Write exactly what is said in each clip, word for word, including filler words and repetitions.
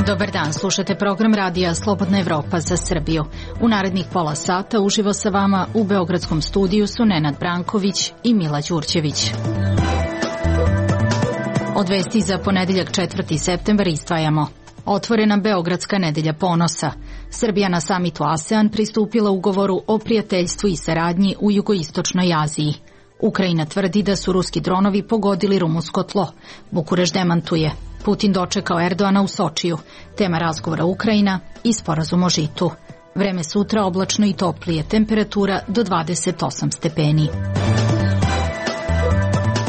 Dobar dan, slušate program radija Slobodna Evropa za Srbiju. U narednih pola sata uživo sa vama u beogradskom studiju su Nenad Branković i Mila Đurđević. Od vesti za ponedeljak četvrti septembar izdvajamo. Otvorena Beogradska nedelja ponosa. Srbija na samitu ASEAN pristupila ugovoru o prijateljstvu i saradnji u jugoistočnoj Aziji. Ukrajina tvrdi da su ruski dronovi pogodili rumunsko tlo. Bukureš demantuje. Putin dočekao Erdoana u Sočiju. Tema razgovora Ukrajina i sporazum o žitu. Vreme sutra oblačno i toplije, temperatura do dvadeset osam stepeni.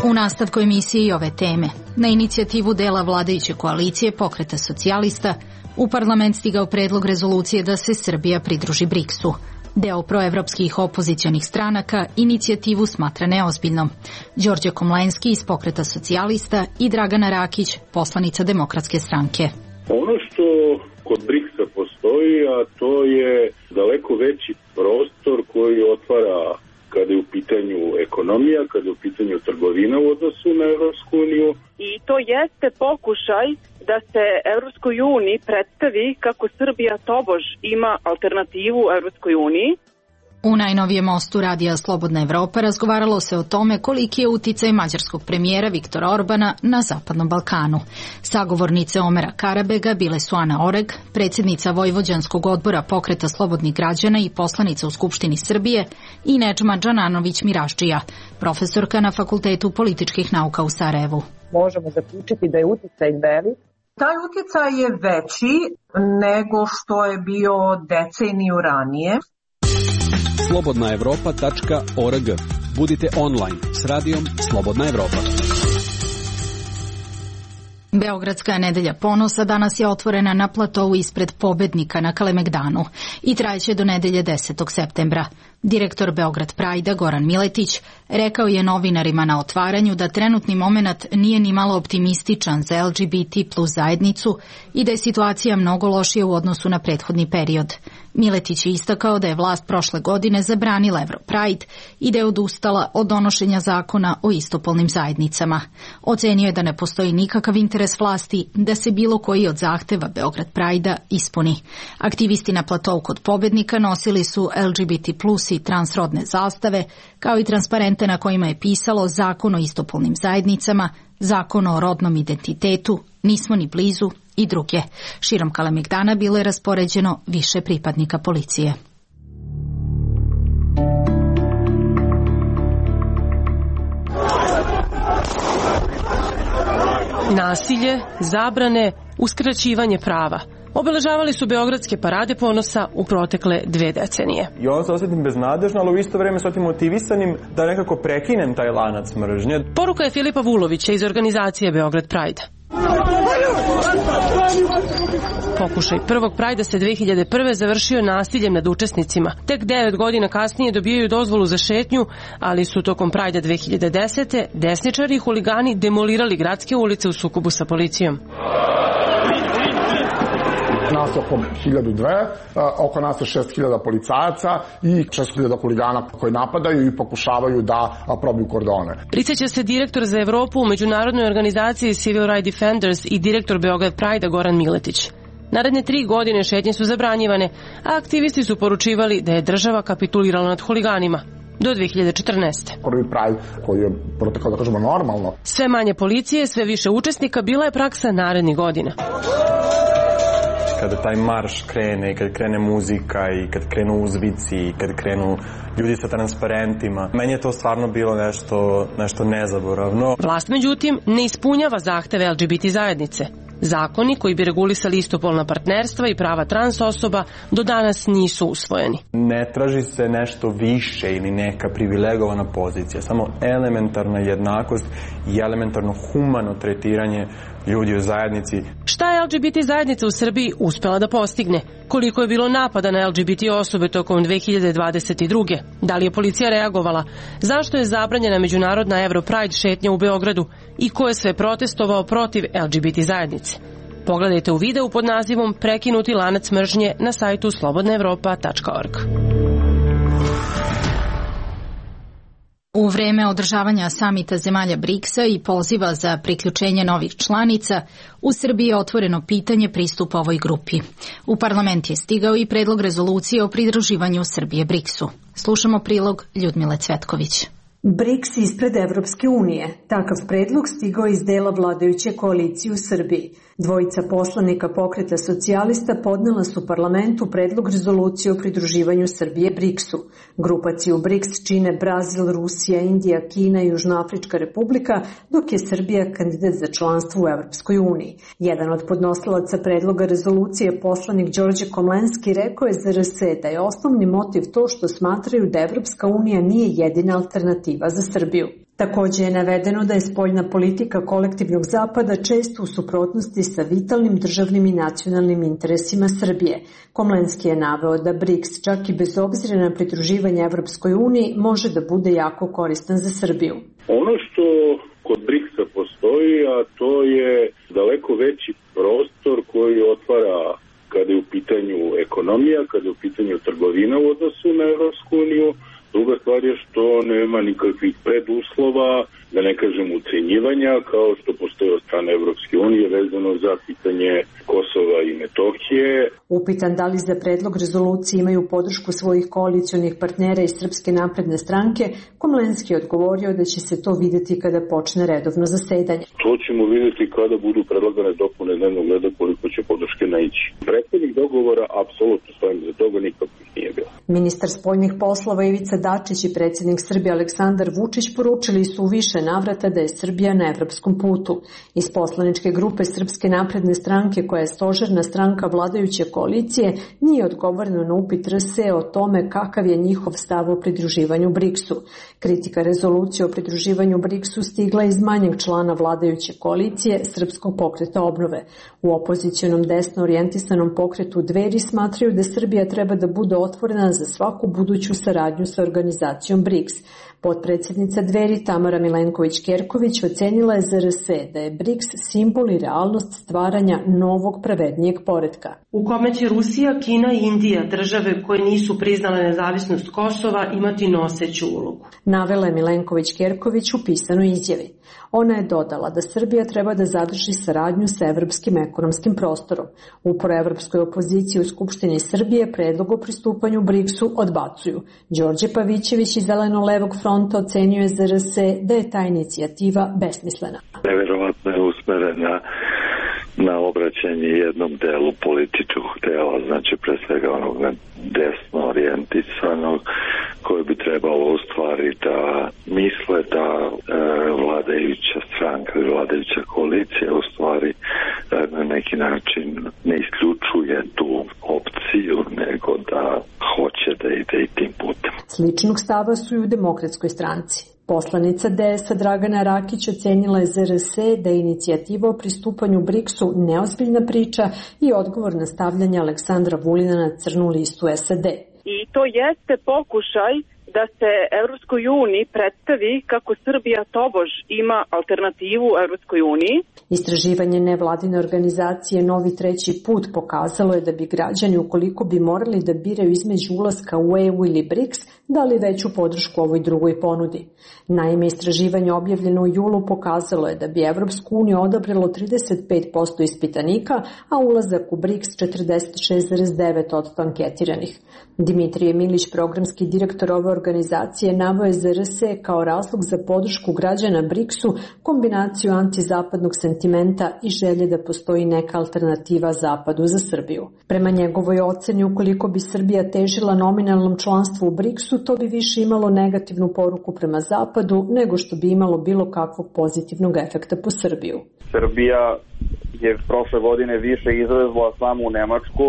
U nastavku emisije i ove teme. Na inicijativu dela vladajuće koalicije Pokreta socijalista u parlament stigao predlog rezolucije da se Srbija pridruži briksu. Deo proevropskih opozicionih stranaka inicijativu smatra neozbiljnom. Đorđe Komlenski iz Pokreta socijalista i Dragana Rakić, poslanica Demokratske stranke. Ono što kod briksa postoji, a to je daleko veći prostor koji otvara kada je u pitanju ekonomija, kada je u pitanju trgovina u odnosu na Evropsku uniju. I to jeste pokušaj da se Evropskoj uniji predstavi kako Srbija tobož ima alternativu Evropskoj uniji. U najnovijem mostu radija Slobodna Evropa razgovaralo se o tome koliki je uticaj mađarskog premijera Viktora Orbana na Zapadnom Balkanu. Sagovornice Omera Karabega bile su Ana Oreg, predsjednica Vojvođanskog odbora Pokreta slobodnih građana i poslanica u Skupštini Srbije, i Nedžma Džananović Miraždžija, profesorka na Fakultetu političkih nauka u Sarajevu. Možemo zaključiti da je uticaj velik. Taj uticaj je veći nego što je bio deceniju ranije. slobodna evropa tačka org. Budite online s radijom Slobodna Evropa. Beogradska nedelja ponosa danas je otvorena na platovu ispred Pobednika na Kalemegdanu i trajeće do nedelje desetog septembra. Direktor Beograd Prajda Goran Miletić rekao je novinarima na otvaranju da trenutni momenat nije ni malo optimističan za L G B T plus zajednicu i da je situacija mnogo lošija u odnosu na prethodni period. Miletić je istakao da je vlast prošle godine zabranila Europride i da je odustala od donošenja zakona o istopolnim zajednicama. Ocenio je da ne postoji nikakav interes vlasti da se bilo koji od zahteva Beograd Prajda ispuni. Aktivisti na platovu kod Pobednika nosili su L G B T plus i transrodne zastave, kao i transparente na kojima je pisalo Zakon o istopolnim zajednicama, Zakon o rodnom identitetu, Nismo ni blizu i druge. Širom Kalemegdana bilo je raspoređeno više pripadnika policije. Nasilje, zabrane, uskraćivanje prava obeležavali su beogradske parade ponosa u protekle dve decenije. I onda se osjetim beznadežno, ali u isto vreme se osjetim motivisanim da nekako prekinem taj lanac mržnje. Poruka je Filipa Vulovića iz organizacije Beograd Pride. Pokušaj prvog Prajda se dve hiljade prve završio nasiljem nad učesnicima. Tek devet godina kasnije dobijaju dozvolu za šetnju, ali su tokom Prajda dve hiljade desete desničari i huligani demolirali gradske ulice u sukobu sa policijom. Nas je oko hiljadu dve, oko nas je šest hiljada policajaca i šest hiljada huligana koji napadaju i pokušavaju da probiju kordone. Prisjeća se direktor za Evropu u međunarodnoj organizaciji Civil Rights Defenders i direktor Beograd Prajda Goran Miletić. Naredne tri godine šetnje su zabranjivane, a aktivisti su poručivali da je država kapitulirala nad huliganima. Do dve hiljade četrnaeste. Prvi Pride koji je protekao, da kažemo, normalno. Sve manje policije, sve više učesnika bila je praksa narednih godina. Kada taj marš krene i kad krene muzika i kad krenu uzvici i kad krenu ljudi sa transparentima, meni je to stvarno bilo nešto, nešto nezaboravno. Vlast, međutim, ne ispunjava zahteve L G B T zajednice. Zakoni koji bi regulisali istopolna partnerstva i prava trans osoba do danas nisu usvojeni. Ne traži se nešto više ili neka privilegovana pozicija, samo elementarna jednakost i elementarno humano tretiranje ljudi u zajednici. Šta je L G B T zajednica u Srbiji uspela da postigne? Koliko je bilo napada na L G B T osobe tokom dve hiljade dvadeset druge? Da li je policija reagovala? Zašto je zabranjena međunarodna Europride šetnja u Beogradu? I ko je sve protestovao protiv L G B T zajednice? Pogledajte u videu pod nazivom Prekinuti lanac mržnje na sajtu slobodna evropa tačka org. U vreme održavanja samita zemalja briksa i poziva za priključenje novih članica, u Srbiji je otvoreno pitanje pristupa ovoj grupi. U parlament je stigao i predlog rezolucije o pridruživanju Srbije briksu. Slušamo prilog Ljudmile Cvetković. BRIKS ispred Evropske unije. Takav predlog stigao iz dela vladajuće koalicije u Srbiji. Dvojica poslanika Pokreta socijalista podnela su parlamentu predlog rezolucije o pridruživanju Srbije briksu. Grupaciju BRIKS čine Brazil, Rusija, Indija, Kina i Južnoafrička republika, dok je Srbija kandidat za članstvo u Evropskoj uniji. Jedan od podnosilaca predloga rezolucije, poslanik Đorđe Komlenski, rekao je za R S da je osnovni motiv to što smatraju da Evropska unija nije jedina alternativa za Srbiju. Takođe je navedeno da je spoljna politika kolektivnog zapada često u suprotnosti sa vitalnim državnim i nacionalnim interesima Srbije. Komlenski je naveo da BRIKS, čak i bez obzira na pridruživanje Evropskoj uniji, može da bude jako koristan za Srbiju. Ono što kod briksa postoji, a to je daleko veći prostor koji otvara kada je u pitanju ekonomija, kada je u pitanju trgovina u odnosu na Evropsku uniju. Druga stvar je što nema nikakvih preduslova, da ne kažem ucenjivanja, kao što postoje od strane Evropske unije vezano za pitanje Kosova i Metohije. Upitan da li za predlog rezolucije imaju podršku svojih koalicionih partnera iz Srpske napredne stranke, Komlenski je odgovorio da će se to videti kada počne redovno zasedanje. To ćemo videti kada budu predlagane dopune dnevnog reda koliko će podrške naići. Prethodnih dogovora apsolutno stojim za toga, nikakvih nije bilo. Ministar spoljnih poslova Ivica Dačić i predsjednik Srbije Aleksandar Vučić poručili su u više navrata da je Srbija na evropskom putu. Iz poslaničke grupe Srpske napredne stranke, koja je stožerna stranka vladajuće koalicije, nije odgovoreno na upit R S o tome kakav je njihov stav o pridruživanju briksu. Kritika rezolucije o pridruživanju briksu stigla iz manjeg člana vladajuće koalicije Srpskog pokreta obnove. U opozicionom desno orijentisanom pokretu Dveri smatraju da Srbija treba da bude otvorena za svaku buduću saradnju sa organizacijom briks. Potpredsjednica Dveri Tamara Milenković-Kerković ocenila je za R S da je briks simbol i realnost stvaranja novog pravednijeg poretka. U kome će Rusija, Kina i Indija, države koje nisu priznale nezavisnost Kosova, imati noseću ulogu. Navela je Milenković-Kerković u pisanoj izjavi. Ona je dodala da Srbija treba da zadrži saradnju sa evropskim ekonomskim prostorom. U proevropskoj opoziciji u Skupštini Srbije predlog o pristupanju briksu odbacuju. Đorđe Pavićević iz Zeleno-levog fronta ocenjuje za R S da je ta inicijativa besmislena. Neverovatno je usmerena na obraćanje jednom delu političkog dela, znači pre svega onog desno orijentisanog, koji bi trebalo u stvari da misle da e, vladajuća stranka ili vladajuća koalicija u stvari e, na neki način ne isključuje tu opciju, nego da hoće da ide i tim putem. Sličnog stava su i u Demokratskoj stranci. Poslanica D S-a Dragana Rakić ocenila je za R S da je inicijativa o pristupanju briksu neozbiljna priča i odgovor na stavljanje Aleksandra Vulina na crnu listu S A D. I to jeste pokušaj da se Evropskoj uniji predstavi kako Srbija tobož ima alternativu Evropskoj uniji. Istraživanje nevladine organizacije Novi treći put pokazalo je da bi građani, ukoliko bi morali da biraju između ulaska u E U ili briks, dali veću podršku ovoj drugoj ponudi. Naime, istraživanje objavljeno u julu pokazalo je da bi Evropsku uniju odabralo trideset pet posto ispitanika, a ulazak u briks četrdeset šest zarez devet posto anketiranih. Dimitrije Milić, programski direktor ove organizacije, naveo je za R S kao razlog za podršku građana briksu kombinaciju antizapadnog sentimenta i želje da postoji neka alternativa Zapadu za Srbiju. Prema njegovoj oceni, ukoliko bi Srbija težila nominalnom članstvu u briksu, to bi više imalo negativnu poruku prema Zapadu nego što bi imalo bilo kakvog pozitivnog efekta po Srbiju. Srbija je prošle godine više izvezla samo u Nemačku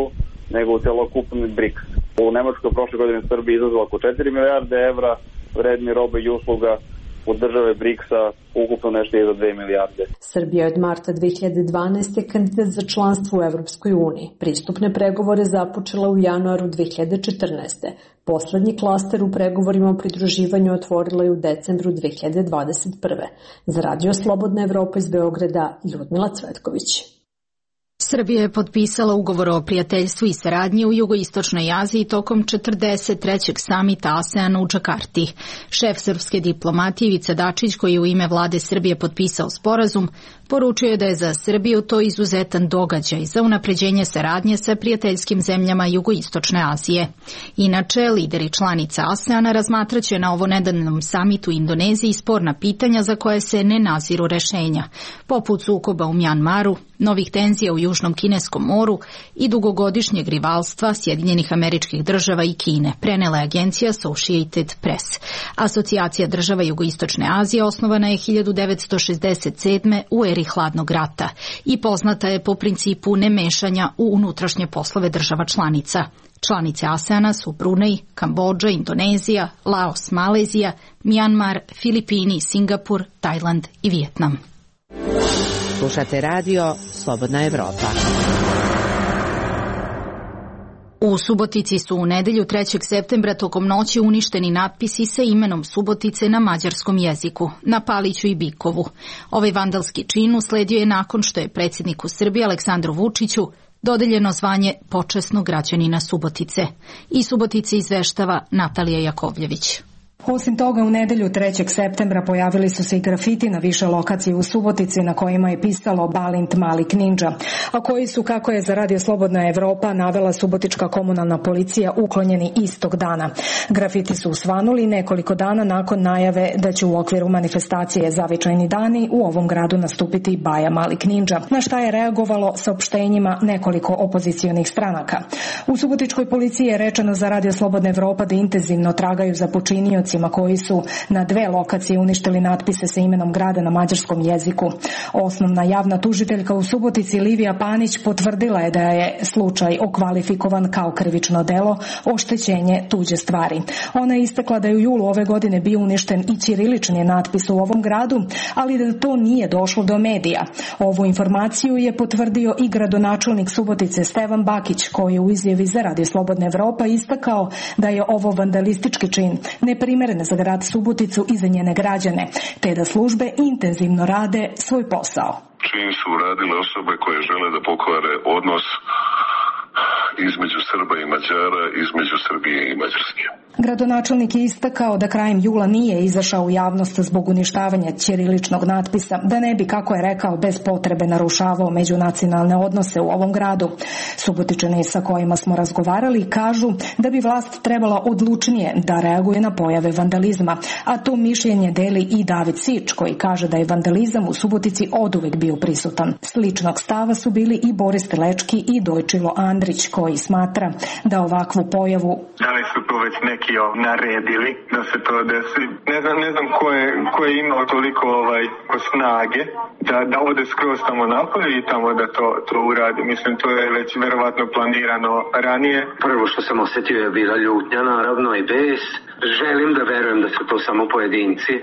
nego u celokupni briks. U Nemačkoj prošle godine Srbija izvezla oko četiri milijarde evra vredni robe i usluga, u države briksa ukupno nešto je za dve milijarde. Srbija je od marta dve hiljade dvanaeste. kandidat za članstvo u Evropskoj uniji. Pristupne pregovore započela u januaru dve hiljade četrnaeste. Poslednji klaster u pregovorima o pridruživanju otvorila je u decembru dve hiljade dvadeset prve. Za Radio Slobodna Evropa iz Beograda, Ljudmila Cvetković. Srbija je potpisala ugovor o prijateljstvu i saradnji u jugoistočnoj Aziji tokom četrdeset trećeg samita ASEAN u Džakarti. Šef srpske diplomatije Ivica Dačić, koji je u ime vlade Srbije potpisao sporazum, poručio je da je za Srbiju to izuzetan događaj za unapređenje saradnje sa prijateljskim zemljama jugoistočne Azije. Inače, lideri članica ASEANA razmatraće na ovo nedeljnom samitu u Indoneziji sporna pitanja za koje se ne naziru rešenja, poput sukoba u Mjanmaru, novih tenzija u Južnom Kineskom moru i dugogodišnjeg rivalstva Sjedinjenih Američkih Država i Kine, prenela je agencija Associated Press. Asocijacija država jugoistočne Azije osnovana je hiljadu devetsto šezdeset sedme. u eri hladnog rata i poznata je po principu nemešanja u unutrašnje poslove država članica. Članice ASEANA su Brunei, Kambodža, Indonezija, Laos, Malezija, Mjanmar, Filipini, Singapur, Tajland i Vijetnam. Slušate radio Slobodna Evropa. U Subotici su u nedelju trećeg septembra tokom noći uništeni natpisi sa imenom Subotice na mađarskom jeziku, na Paliću i Bikovu. Ovaj vandalski čin usledio je nakon što je predsjedniku Srbije Aleksandru Vučiću dodeljeno zvanje počasnog građanina Subotice. I Subotice izveštava Natalija Jakovljević. Osim toga, u nedelju trećeg septembra pojavili su se i grafiti na više lokacije u Subotici na kojima je pisalo Balint Malik Ninja, a koji su, kako je za Radio Slobodna Evropa navela subotička komunalna policija, uklonjeni istog dana. Grafiti su usvanuli nekoliko dana nakon najave da će u okviru manifestacije Zavičajni dani u ovom gradu nastupiti Baja Malik Ninja, na šta je reagovalo saopštenjima nekoliko opozicionih stranaka. U subotičkoj policiji je rečeno za Radio Slobodna Evropa da intenzivno tragaju za počinioci koji su na dve lokacije uništili natpise sa imenom grada na mađarskom jeziku. Osnovna javna tužiteljka u Subotici Livija Panić potvrdila je da je slučaj okvalifikovan kao krivično delo oštećenje tuđe stvari. Ona je istakla da je u julu ove godine bio uništen i ćirilični natpis u ovom gradu, ali da to nije došlo do medija. Ovu informaciju je potvrdio i gradonačelnik Subotice Stevan Bakić, koji je u izjavi za Radio Slobodna Evropa istakao da je ovo vandalistički čin neprimeren za grad Suboticu i za njene građane, te da službe intenzivno rade svoj posao. Čin su uradile osobe koje žele da pokvare odnos između Srba i Mađara, između Srbije i Mađarske. Gradonačelnik je istakao da krajem jula nije izašao u javnost zbog uništavanja ćiriličnog natpisa, da ne bi, kako je rekao, bez potrebe narušavao međunacionalne odnose u ovom gradu. Subotičani sa kojima smo razgovarali kažu da bi vlast trebala odlučnije da reaguje na pojave vandalizma, a to mišljenje deli i David Sič, koji kaže da je vandalizam u Subotici oduvek bio prisutan. Sličnog stava su bili i Boris Telečki i Dojčilo Andrić, koji smatra da ovakvu pojavu da li su to već neki naredili da se to desi. Ne znam, ne znam ko je, ko je imao toliko ovaj, snage da, da ode skroz tamo napolje i tamo da to, to uradi. Mislim, to je već verovatno planirano ranije. Prvo što sam osjetio je bila ljutnja, naravno, i bes. Želim da verujem da su to samo pojedinci.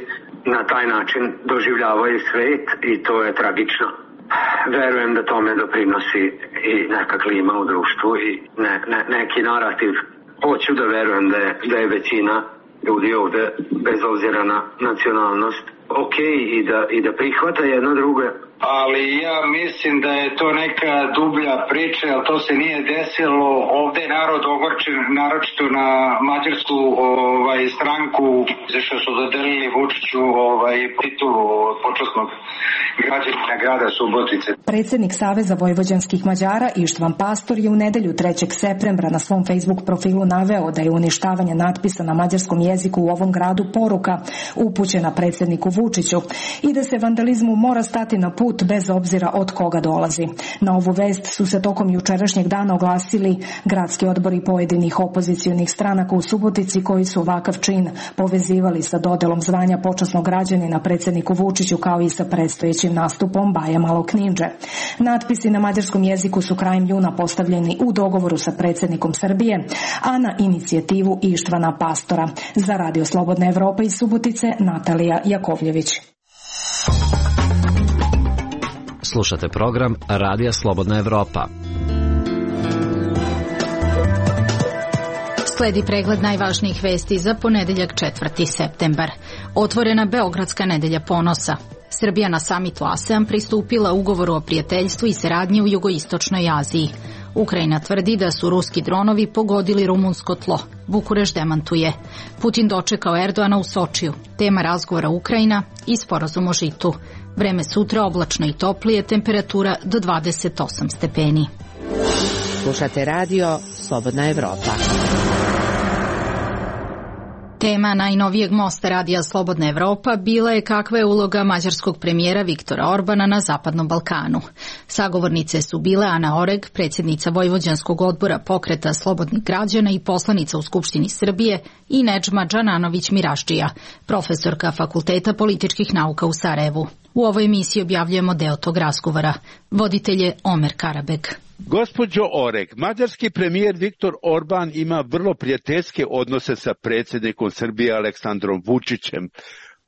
Na taj način doživljavaju svet i to je tragično. Verujem da tome doprinosi i neka klima u društvu i ne, ne, neki narativ. Hoću da verujem da je, da je većina ljudi ovde, bez obzira na nacionalnost, ok i da, i da prihvata jedno drugo. Ali ja mislim da je to neka dublja priča, ali to se nije desilo. Ovde je narod ogorčen, naročito na mađarsku ovaj, stranku, zašto su dodelili Vučiću ovaj, titulu počasnog građanina grada Subotice. Predsjednik Saveza vojvođanskih Mađara Ištvan Pastor je u nedelju trećeg septembra na svom Facebook profilu naveo da je uništavanje natpisa na mađarskom jeziku u ovom gradu poruka upućena predsjedniku Vučiću i da se vandalizmu mora stati na put bez obzira od koga dolazi. Na ovu vest su se tokom jučerašnjeg dana oglasili gradski odbori pojedinih opozicionih stranaka u Subotici koji su ovakav čin povezivali sa dodelom zvanja počasnog građanina predsjedniku Vučiću kao i sa predstojećim nastupom Baja Malog Ninja. Natpisi na mađarskom jeziku su krajem juna postavljeni u dogovoru sa predsjednikom Srbije, a na inicijativu Ištvana Pastora. Za Radio Slobodna Evropa iz Subotice, Natalija Jakovljević. Slušate program Radija Slobodna Evropa. Sledi pregled najvažnijih vesti za ponedeljak četvrti septembar. Otvorena Beogradska nedelja ponosa. Srbija na samitu ASEAN pristupila ugovoru o prijateljstvu i saradnji u jugoistočnoj Aziji. Ukrajina tvrdi da su ruski dronovi pogodili rumunsko tlo. Bukureš demantuje. Putin dočekao Erdoana u Sočiju. Tema razgovora Ukrajina i sporazum o žitu. Vreme sutra oblačno i toplije, temperatura do dvadeset osam stepeni. Slušate radio Slobodna Evropa. Tema najnovijeg mosta radija Slobodna Evropa bila je kakva je uloga mađarskog premijera Viktora Orbana na Zapadnom Balkanu. Sagovornice su bile Ana Oreg, predsjednica Vojvođanskog odbora Pokreta slobodnih građana i poslanica u Skupštini Srbije, i Nedžma Džananović Mirašdžija, profesorka Fakulteta političkih nauka u Sarajevu. U ovoj emisiji objavljujemo deo tog razgovora. Voditelj je Omer Karabek. Gospođo Oreg, mađarski premijer Viktor Orban ima vrlo prijateljske odnose sa predsjednikom Srbije Aleksandrom Vučićem.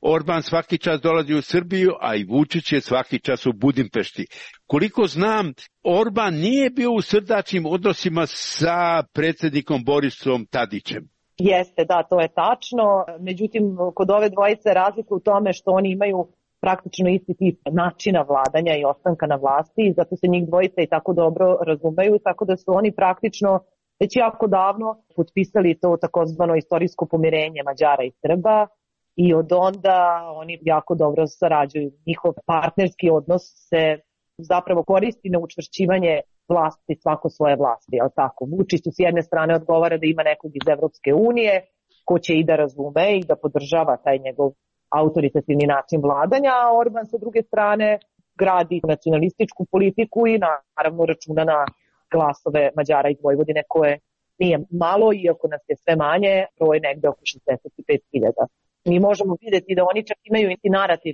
Orban svaki čas dolazi u Srbiju, a i Vučić je svaki čas u Budimpešti. Koliko znam, Orban nije bio u srdačnim odnosima sa predsjednikom Borisom Tadićem. Jeste, da, to je tačno. Međutim, kod ove dvojice razlika u tome što oni imaju praktično isti tip načina vladanja i ostanka na vlasti i zato se njih dvojica i tako dobro razumeju, tako da su oni praktično već jako davno potpisali to takozvano istorijsko pomirenje Mađara i Srba i od onda oni jako dobro sarađuju. Njihov partnerski odnos se zapravo koristi na učvršćivanje vlasti, svako svoje vlasti, ali tako. Vučić s jedne strane odgovara da ima nekog iz Evropske unije ko će i da razume i da podržava taj njegov autoritativni način vladanja, a Orban sa druge strane gradi nacionalističku politiku i naravno računa na glasove Mađara iz Vojvodine koje nije malo, iako nas je sve manje, broj negde oko šezdeset pet hiljada. Mi možemo vidjeti da oni čak imaju isti narativ.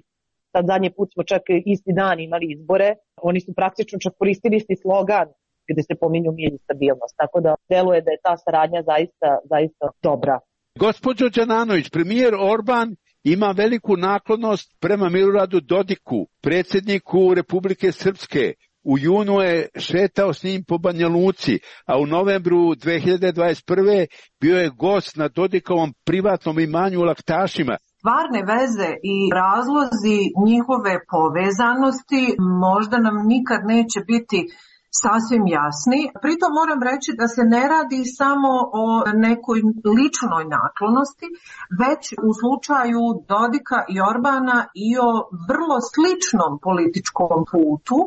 Sad zadnji put smo čak isti dan imali izbore, oni su praktično čak koristili isti slogan gde se pominju mir i stabilnost, tako da deluje da je ta saradnja zaista, zaista dobra. Gospođo Đananović, premijer Orban ima veliku naklonost prema Miloradu Dodiku, predsjedniku Republike Srpske. U junu je šetao s njim po Banja Luci, a u novembru dve hiljade dvadeset prve bio je gost na Dodikovom privatnom imanju u Laktašima. Stvarne veze i razlozi njihove povezanosti možda nam nikad neće biti sasvim jasni. Pritom moram reći da se ne radi samo o nekoj ličnoj naklonosti, već u slučaju Dodika i Orbana i o vrlo sličnom političkom putu.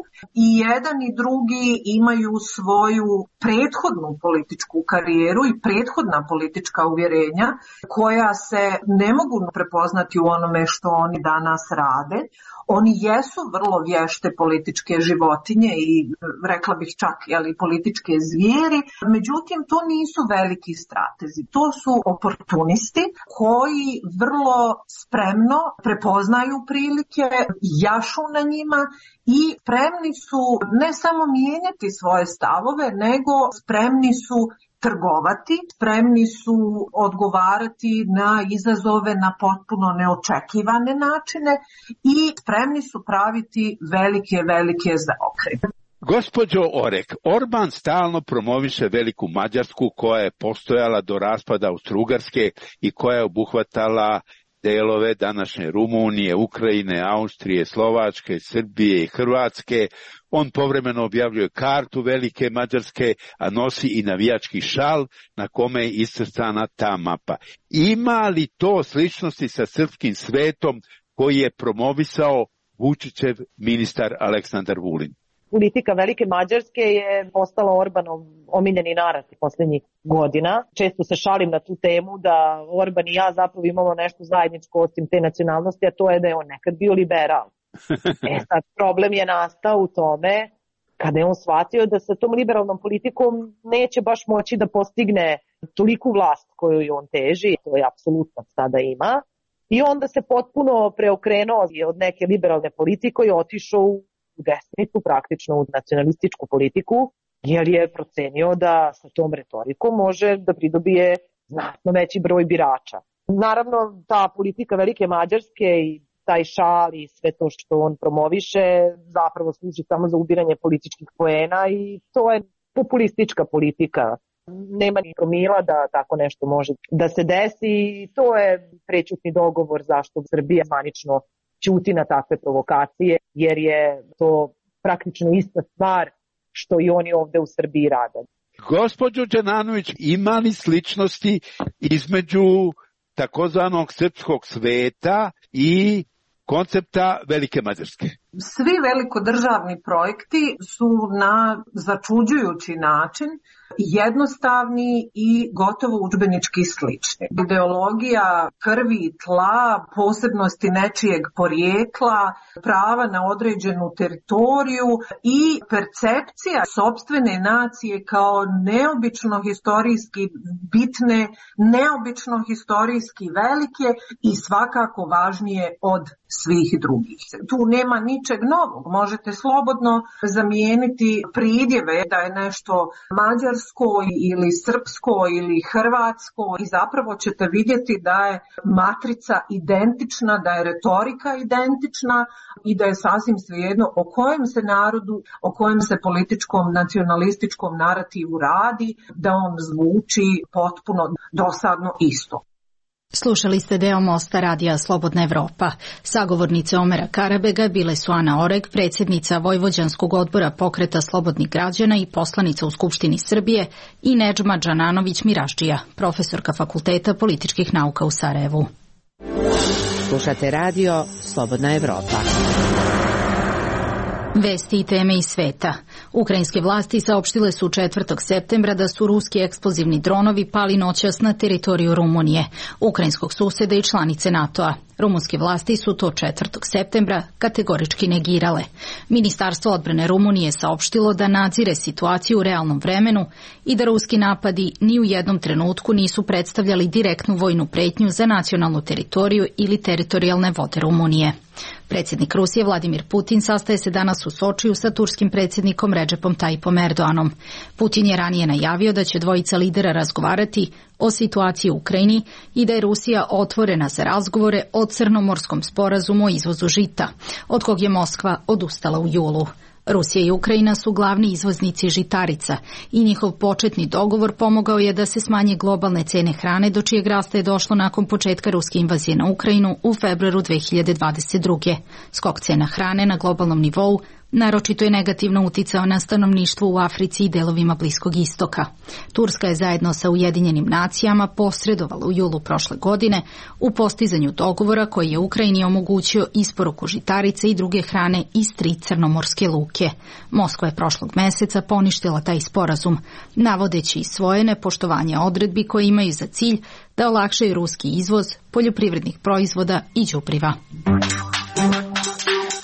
I jedan i drugi imaju svoju prethodnu političku karijeru i prethodna politička uvjerenja koja se ne mogu prepoznati u onome što oni danas rade. Oni jesu vrlo vješte političke životinje i rekla bih čak jeli, političke zvijeri, međutim to nisu veliki stratezi, to su oportunisti koji vrlo spremno prepoznaju prilike, jašu na njima i spremni su ne samo mijenjati svoje stavove, nego spremni su trgovati, spremni su odgovarati na izazove na potpuno neočekivane načine i spremni su praviti velike, velike zaokrete. Gospođo Oreg, Orban stalno promoviše veliku Mađarsku koja je postojala do raspada Austro-Ugarske i koja je obuhvatala delove današnje Rumunije, Ukrajine, Austrije, Slovačke, Srbije i Hrvatske. On povremeno objavljuje kartu velike Mađarske, a nosi i navijački šal na kome je iscrtana ta mapa. Ima li to sličnosti sa srpskim svetom koji je promovisao Vučićev ministar Aleksandar Vulin? Politika velike Mađarske je postala Orbanov omiljeni narativ posljednjih godina. Često se šalim na tu temu da Orban i ja zapravo imamo nešto zajedničko osim te nacionalnosti, a to je da je on nekad bio liberal. E sad, problem je nastao u tome kada je on shvatio da sa tom liberalnom politikom neće baš moći da postigne toliku vlast koju je on teži, to je apsolutno sada ima. I onda se potpuno preokrenuo od neke liberalne politike i otišao u u desnicu, praktično u nacionalističku politiku, jer je procenio da sa tom retorikom može da pridobije znatno veći broj birača. Naravno, ta politika velike Mađarske i taj šal i sve to što on promoviše zapravo služi samo za ubiranje političkih poena i to je populistička politika. Nema ni promila da tako nešto može da se desi i to je prećutni dogovor zašto Srbija zvanično ćuti na takve provokacije, jer je to praktično ista stvar što i oni ovde u Srbiji rade. Gospođo Đananović, ima li sličnosti između takozvanog srpskog sveta i koncepta Velike Mađarske? Svi velikodržavni projekti su na začuđujući način jednostavni i gotovo udžbenički slični. Ideologija krvi i tla, posebnosti nečijeg porijekla, prava na određenu teritoriju i percepcija sopstvene nacije kao neobično historijski bitne, neobično historijski velike i svakako važnije od svih drugih. Tu nema ničeg novog. Možete slobodno zamijeniti pridjeve da je nešto mađarsko ili srpsko ili hrvatsko i zapravo ćete vidjeti da je matrica identična, da je retorika identična i da je sasvim svejedno o kojem se narodu, o kojem se političkom nacionalističkom narativu radi, da on zvuči potpuno dosadno isto. Slušali ste deo Mosta radija Slobodna Evropa. Sagovornice Omera Karabega bile su Ana Oreg, predsjednica Vojvođanskog odbora Pokreta slobodnih građana i poslanica u Skupštini Srbije, i Nedžma Đananović Mirašđija, profesorka Fakulteta političkih nauka u Sarajevu. Slušate radio Slobodna Evropa. Vesti i teme iz sveta. Ukrajinske vlasti saopštile su četvrtog septembra da su ruski eksplozivni dronovi pali noćas na teritoriju Rumunije, ukrajinskog suseda i članice NATO-a. Rumunske vlasti su to četvrtog septembra kategorički negirale. Ministarstvo odbrane Rumunije saopštilo da nadzire situaciju u realnom vremenu i da ruski napadi ni u jednom trenutku nisu predstavljali direktnu vojnu pretnju za nacionalnu teritoriju ili teritorijalne vode Rumunije. Predsjednik Rusije Vladimir Putin sastaje se danas u Sočiju sa turskim predsjednikom Redžepom Tajipom Erdoanom. Putin je ranije najavio da će dvojica lidera razgovarati o situaciji u Ukrajini i da je Rusija otvorena za razgovore o Crnomorskom sporazumu o izvozu žita, od kog je Moskva odustala u julu. Rusija i Ukrajina su glavni izvoznici žitarica i njihov početni dogovor pomogao je da se smanje globalne cene hrane, do čijeg rasta je došlo nakon početka ruske invazije na Ukrajinu u februaru dve hiljade dvadeset druge. Skok cena hrane na globalnom nivou naročito je negativno uticao na stanovništvo u Africi i delovima Bliskog istoka. Turska je zajedno sa Ujedinjenim nacijama posredovala u julu prošle godine u postizanju dogovora koji je Ukrajini omogućio isporuku žitarice i druge hrane iz tri crnomorske luke. Moskva je prošlog meseca poništila taj sporazum, navodeći svoje nepoštovanje odredbi koje imaju za cilj da olakšaju ruski izvoz poljoprivrednih proizvoda i đubriva.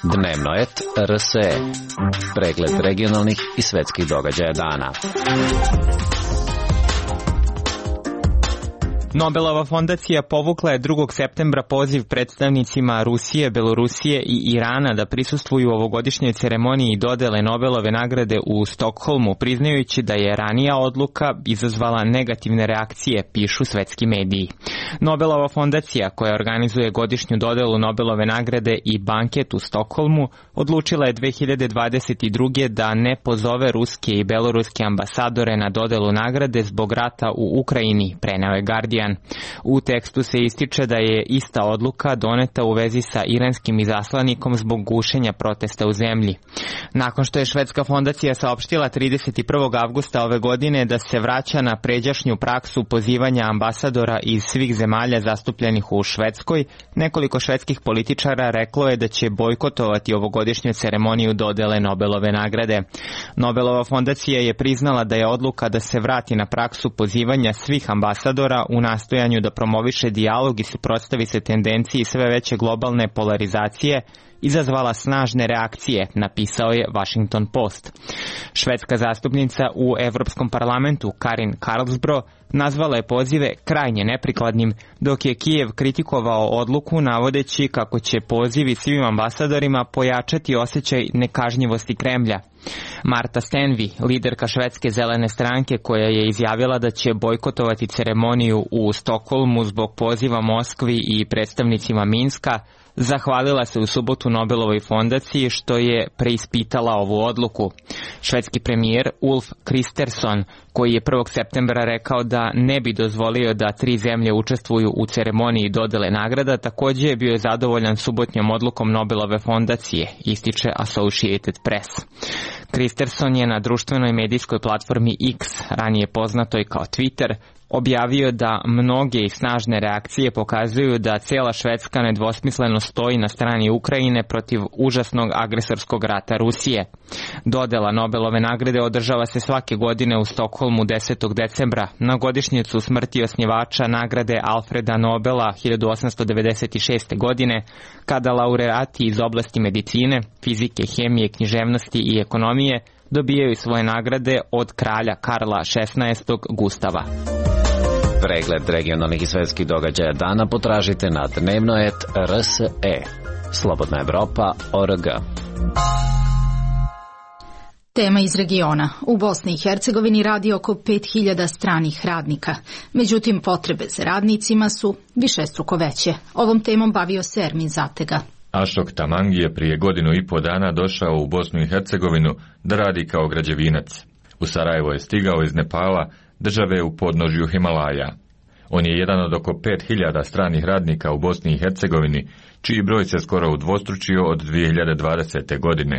Dnevnoet R S E. Pregled regionalnih i svetskih događaja dana. Nobelova fondacija povukla je drugog septembra poziv predstavnicima Rusije, Belorusije i Irana da prisustvuju ovogodišnjoj ceremoniji dodele Nobelove nagrade u Stokholmu, priznajući da je ranija odluka izazvala negativne reakcije, pišu svetski mediji. Nobelova fondacija, koja organizuje godišnju dodelu Nobelove nagrade i banket u Stokholmu, odlučila je dve hiljade dvadeset druge da ne pozove ruske i beloruske ambasadore na dodelu nagrade zbog rata u Ukrajini, preneo je Guardian. U tekstu se ističe da je ista odluka doneta u vezi sa iranskim izaslanikom zbog gušenja protesta u zemlji. Nakon što je švedska fondacija saopštila trideset prvog avgusta ove godine da se vraća na pređašnju praksu pozivanja ambasadora iz svih zemalja zastupljenih u Švedskoj, nekoliko švedskih političara reklo je da će bojkotovati ovogodišnju ceremoniju dodele Nobelove nagrade. Nobelova fondacija je priznala da je odluka da se vrati na praksu pozivanja svih ambasadora u nastojanju da promoviše dijalog i suprotstavi se tendenciji sve veće globalne polarizacije izazvala snažne reakcije, napisao je Washington Post. Švedska zastupnica u Evropskom parlamentu Karin Karlsbro nazvala je pozive krajnje neprikladnim, dok je Kijev kritikovao odluku navodeći kako će pozivi svim ambasadorima pojačati osjećaj nekažnjivosti Kremlja. Marta Stenvi, liderka švedske zelene stranke koja je izjavila da će bojkotovati ceremoniju u Stokholmu zbog poziva Moskvi i predstavnicima Minska, zahvalila se u subotu Nobelovoj fondaciji što je preispitala ovu odluku. Švedski premijer Ulf Kristersson, koji je prvog septembra rekao da ne bi dozvolio da tri zemlje učestvuju u ceremoniji dodele nagrada, također je bio zadovoljan subotnjom odlukom Nobelove fondacije, ističe Associated Press. Kristersson je na društvenoj medijskoj platformi X, ranije poznatoj kao Twitter, objavio da mnoge i snažne reakcije pokazuju da cijela Švedska nedvosmisleno stoji na strani Ukrajine protiv užasnog agresorskog rata Rusije. Dodela Nobelove nagrade održava se svake godine u Stokholmu desetog decembra na godišnjicu smrti osnivača nagrade Alfreda Nobela hiljadu osamsto devedeset šeste. godine, kada laureati iz oblasti medicine, fizike, hemije, književnosti i ekonomije dobijaju svoje nagrade od kralja Karla šesnaestog. Gustava. Pregled regionalnih i svetskih događaja dana potražite na dnevnoet R S E. Slobodna Evropa точка о р г. Tema iz regiona. U Bosni i Hercegovini radi oko pet hiljada stranih radnika. Međutim, potrebe za radnicima su višestruko veće. Ovom temom bavio se Ermin Zatega. Ašok Tamangi je prije godinu i po dana došao u Bosnu i Hercegovinu da radi kao građevinac. U Sarajevo je stigao iz Nepala, države u podnožju Himalaja. On je jedan od oko pet hiljada stranih radnika u Bosni i Hercegovini, čiji broj se skoro udvostručio od dvije hiljade dvadesete. godine.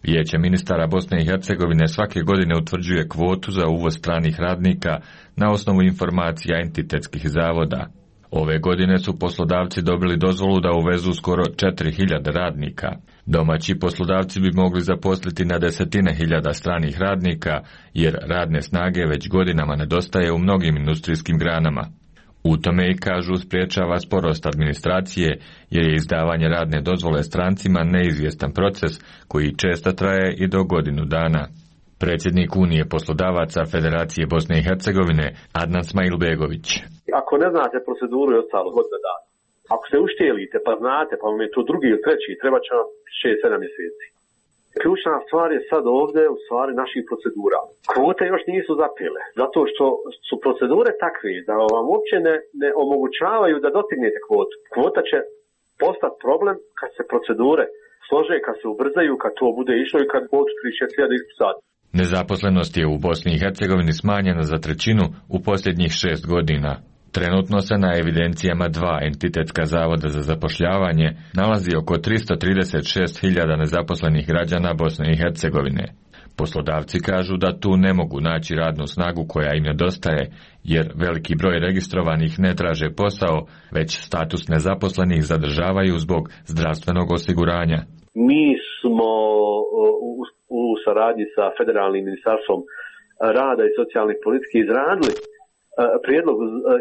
Vijeće ministara Bosne i Hercegovine svake godine utvrđuje kvotu za uvoz stranih radnika na osnovu informacija entitetskih zavoda. Ove godine su poslodavci dobili dozvolu da uvezu skoro četiri hiljade radnika. Domaći poslodavci bi mogli zaposliti na desetine hiljada stranih radnika, jer radne snage već godinama nedostaje u mnogim industrijskim granama. U tome i kažu spriječava sporost administracije, jer je izdavanje radne dozvole strancima neizvjestan proces koji često traje i do godinu dana. Predsjednik Unije poslodavaca Federacije Bosne i Hercegovine Adnan Smajilbegović. Ako ne znate proceduru i ostalo godina dana, ako se uštijelite pa znate, pa vam je to drugi ili treći, treba će vam šest sedam mjeseci. Ključna stvar je sad ovdje u stvari naših procedura. Kvote još nisu zapile, zato što su procedure takve da vam uopće ne, ne omogućavaju da dostignete kvotu. Kvota će postati problem kad se procedure slože, kad se ubrzaju, kad to bude išlo i kad kvotu trideset šest hiljada ispisati. Nezaposlenost je u Bosni i Hercegovini smanjena za trećinu u posljednjih šest godina. Trenutno se na evidencijama dva entitetska zavoda za zapošljavanje nalazi oko tristo trideset šest hiljada nezaposlenih građana Bosne i Hercegovine. Poslodavci kažu da tu ne mogu naći radnu snagu koja im nedostaje, jer veliki broj registrovanih ne traže posao, već status nezaposlenih zadržavaju zbog zdravstvenog osiguranja. Mi smo u, u saradnji sa Federalnim ministarstvom rada i socijalnih politike izradili prijedlog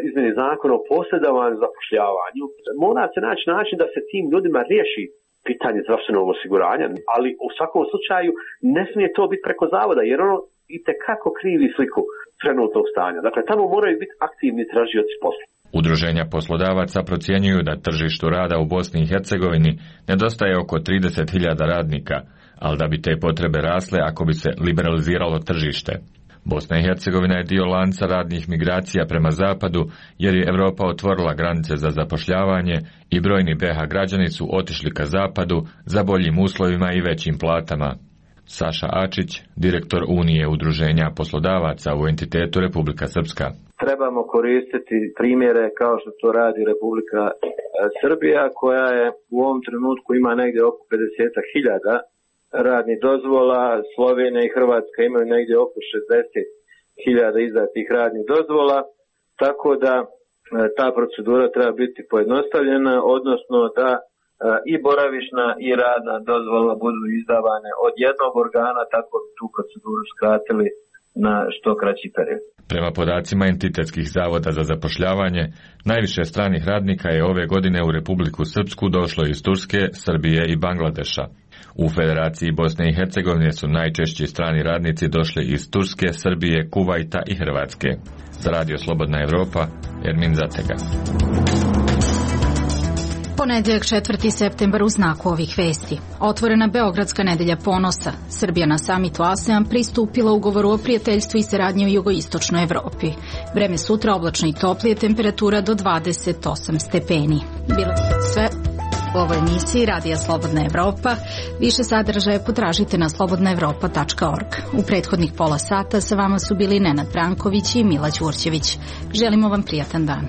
izmjene zakona o posredovanju i zapošljavanju. Mora se naći način da se tim ljudima riješi pitanje zdravstvenog osiguranja, ali u svakom slučaju ne smije to biti preko zavoda, jer ono itekako krivi sliku trenutnog stanja. Dakle, tamo moraju biti aktivni tražioci posla. Udruženja poslodavaca procjenjuju da tržištu rada u Bosni i Hercegovini nedostaje oko trideset hiljada radnika, ali da bi te potrebe rasle ako bi se liberaliziralo tržište. Bosna i Hercegovina je dio lanca radnih migracija prema zapadu, jer je Europa otvorila granice za zapošljavanje i brojni B iH građani su otišli ka zapadu za boljim uslovima i većim platama. Saša Ačić, direktor Unije udruženja poslodavaca u entitetu Republika Srpska. Trebamo koristiti primjere kao što to radi Republika Srbija, koja je u ovom trenutku ima negdje oko pedeset hiljada radnih dozvola. Slovenija i Hrvatska imaju negdje oko šezdeset hiljada izdatih radnih dozvola, tako da ta procedura treba biti pojednostavljena, odnosno da i boravišna i radna dozvola budu izdavane od jednog organa, tako da tu proceduru skratili na što kraći period. Prema podacima entitetskih zavoda za zapošljavanje, najviše stranih radnika je ove godine u Republiku Srpsku došlo iz Turske, Srbije i Bangladeša. U Federaciji Bosne i Hercegovine su najčešći strani radnici došli iz Turske, Srbije, Kuvajta i Hrvatske. Za Radio Slobodna Evropa, Ermin Zatega. Ponedeljak četvrti septembar u znaku ovih vesti. Otvorena Beogradska nedelja ponosa. Srbija na samitu ASEAN pristupila ugovoru o prijateljstvu i saradnji u jugoistočnoj Evropi. Vreme sutra oblačno i toplije, temperatura do dvadeset osam stepeni. Bilo sve u ovoj emisiji Radija Slobodna Evropa. Više sadržaja potražite na slobodna evropa tačka org. U prethodnih pola sata sa vama su bili Nenad Branković i Mila Đurđević. Želimo vam prijatan dan.